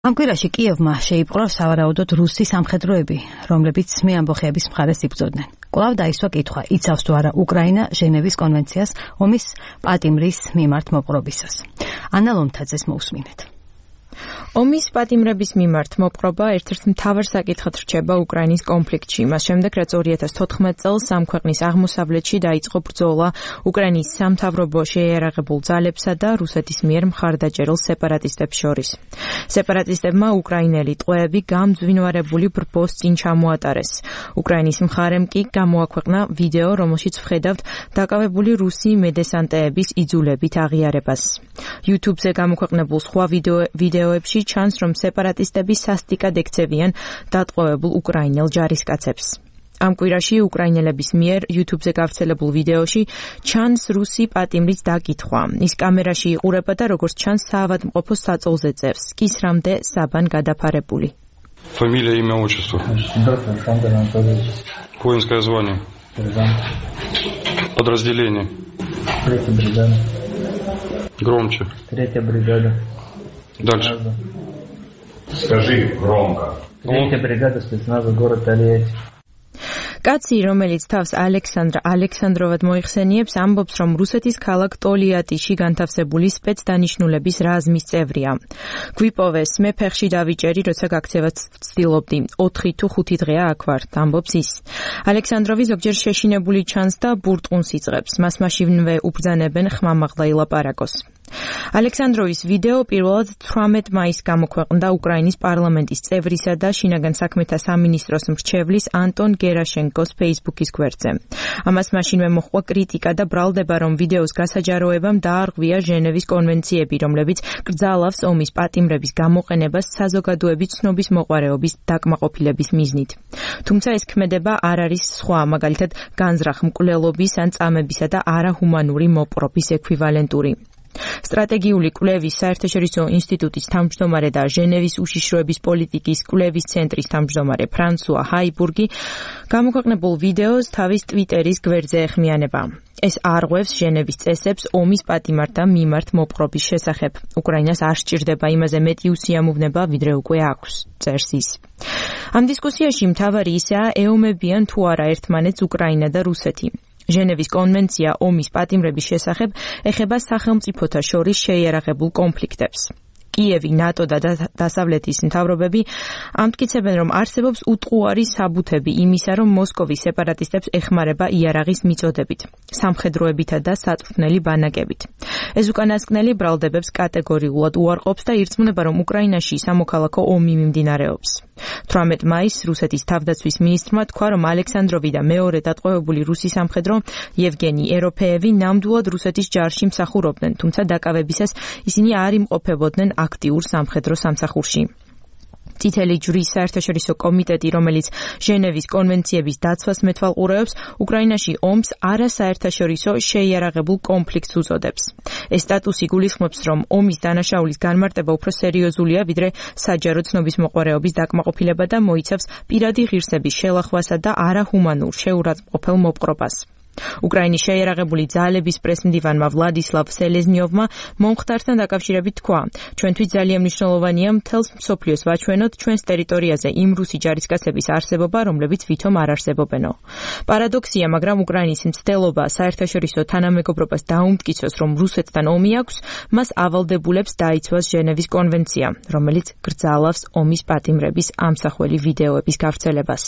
ამ კვირაში კიევმა შეიპყრო სავარაუდოდ რუსი სამხედროები, რომლებიც მეამბოხეების მხარეს იბრძოდნენ. კვლავ დაისვა კითხვა, იცავს თუ არა უკრაინა ჟენევის კონვენციას ომის პატიმრის მიმართ მოპყრობისას. ანა ლომთაძეს მოусმინეთ. ომის პატიმრების მიმართ მოპყრობა ერთ-ერთ მთავარ საკითხად რჩება უკრაინის კონფლიქტში. მას შემდეგ, რაც 2014 წელს ამ ქვეყნის აღმოსავლეთში დაიწყო ბრძოლა უკრაინის სამთავრობო შეიარაღებულ ძალებსა და რუსეთის მიერ მხარდაჭერილ სეპარატისტებს შორის. სეპარატისტებმა უკრაინელი ტყვეები გამძვინვარებული ბრბოს წინ ჩამოატარეს. უკრაინის მხარემ კი გამოაქვეყნა ვიდეო, რომელშიც ვხედავთ დაკავებული რუსი მედესანტეების იძულებით აღიარებას. YouTube-ზე გამოქვეყნებულ სხვა ვიდეოებში ჩანს, რომ სეპარატისტები სასტიკად ექცევიან დატყვევებულ უკრაინელ ჯარისკაცებს. ამ კვირაში უკრაინელების მიერ YouTube-ზე გავრცელებულ ვიდეოში ჩანს რუსი პატიმრის დაკითხვა. ის კამერაში იყურება და როგორც ჩანს საავადმყოფო საწოლზე წერს, კისრამდე საბან გადაფარებული. Фамилия, имя, отчество. Воинское звание. Подразделение. 3-я бригада. Громче. 3-я бригада. Дальше. Скажи громко. 3-я бригада спецназа город Тольятти. კაცი, რომელიც თავს ალექსანდრა ალექსანდროვად მოიხსენიებს, ამბობს, რომ რუსეთის ქალაქ ტოლიატიში განთავსებული სპეცდანიშნულების რაზმის წევრია. გვიპოვეს, მე ფეხში დავიჭერი, როცა გაქცევას ვცდილობდი. 4 თუ 5 დღეა აქ ვარ, ამბობს ის. ალექსანდროვი ზოგჯერ შეშინებული ჩანს და ბურტყუნს იწყებს. მას მაშინვე უბრძანებენ ხმამაღლა ილაპარაკოს. ალექსანდროვის ვიდეო პირველად 18 მაისს გამოქვეყნდა უკრაინის პარლამენტის წევრისა და შინაგან საქმეთა სამინისტროს მრჩევლის ანტონ გერაშენკოს Facebook-ის გვერდზე. ამას მაშინვე მოჰყვა კრიტიკა და ბრალდება, რომ ვიდეოს გასაჯაროებამ დაარღვია ჟენევის კონვენციები, რომლებიც კრძალავს ომის პატიმრების გამოყენებას საზოგადოების ცნობის მოყვარეობის დაკმაყოფილების მიზნით. თუმცა ეს ქმედება არ არის სხვა, მაგალითად განზრახ მკვლელობის ან წამებისა და არაჰუმანური მოპყრობის ექვივალენტური. სტრატეგიული კვლევის საერთაშორისო ინსტიტუტის თავმჯდომარე და ჟენევის უშიშროების პოლიტიკის კვლევის ცენტრის თავმჯდომარე ფრანსუა ჰაიბურგი გამოქვეყნებულ ვიდეოს თავის ტვიტერის გვერდზე ეხმიანება. ეს არღვევს ჟენევის წესებს ომის პატიმართა მიმართ მოპყრობის შესახებ. უკრაინას არ სჭირდება იმაზე მეტი უსიამოვნება, ვიდრე უკვე აქვს, წერს ის. ამ დისკუსიაში მთავარი ისაა, ეომებიან თუ არა ერთმანეთს უკრაინა და რუსეთი. ჟენევის კონვენცია ომის პატიმრების შესახებ ეხება სახელმწიფოთა შორის შეიარაღებულ კონფლიქტებს. კიევი, ნატო და დასავლეთის მთავრობები ამტკიცებენ, რომ არსებობს უტყუარი საბუთები იმისა, რომ მოსკოვი სეპარატისტებს ეხმარება იარაღის მიწოდებით, სამხედროებითა და საწვრთნელი ბანაკებით. ეს უკანასკნელი ბრალდებებს კატეგორიულად უარყოფს და ირწმუნება, რომ უკრაინაში სამოქალაქო ომი მიმდინარეობს. 18 მაისს რუსეთის თავდაცვის მინისტრმა თქვა, რომ ალექსანდროვი და მეორე დატყვევებული რუსი სამხედრო ევგენი ეროფეევი ნამდვილად რუსეთის ჯარში მსახურობდნენ, თუმცა დაკავებისას ისინი არ იმყოფებოდნენ აქტიურ სამხედრო სამსახურში. წითელი ჯვრის საერთაშორისო კომიტეტი, რომელიც ჟენევის კონვენციების დაცვას მეთვალყურეობს, უკრაინაში ომს არასაერთაშორისო შეიარაღებულ კონფლიქტს უწოდებს. ეს სტატუსი გულისხმობს, რომ ომის დანაშაულის განმარტება უფრო სერიოზულია, ვიდრე საჯარო ცნობის მოყვარეობის დაკმაყოფილება და მოიცავს პირადი ღირსების შელახვასა და არაჰუმანურ შეურაცხმყოფელ მოპყრობას. უკრაინის შეიარაღებული ძალების პრესმდივანმა ვლადისლავ სელეზნიოვმა მომხდართან დაკავშირებით თქვა, ჩვენთვის ძალიან მნიშვნელოვანია მთელს მსოფლიოს ვაჩვენოთ ჩვენს ტერიტორიაზე იმ რუსი ჯარისკაცების არსებობა, რომლებიც ვითომ არ არსებობენო. პარადოქსია, მაგრამ უკრაინის მცდელობა საერთაშორისო თანამეგობრობას დაუმტკიცოს, რომ რუსეთთან ომი აქვს, მას ავალდებულებს დაიცვას ჟენევის კონვენცია, რომელიც კრძალავს ომის პატიმრების ამსახველი ვიდეოების გავრცელებას.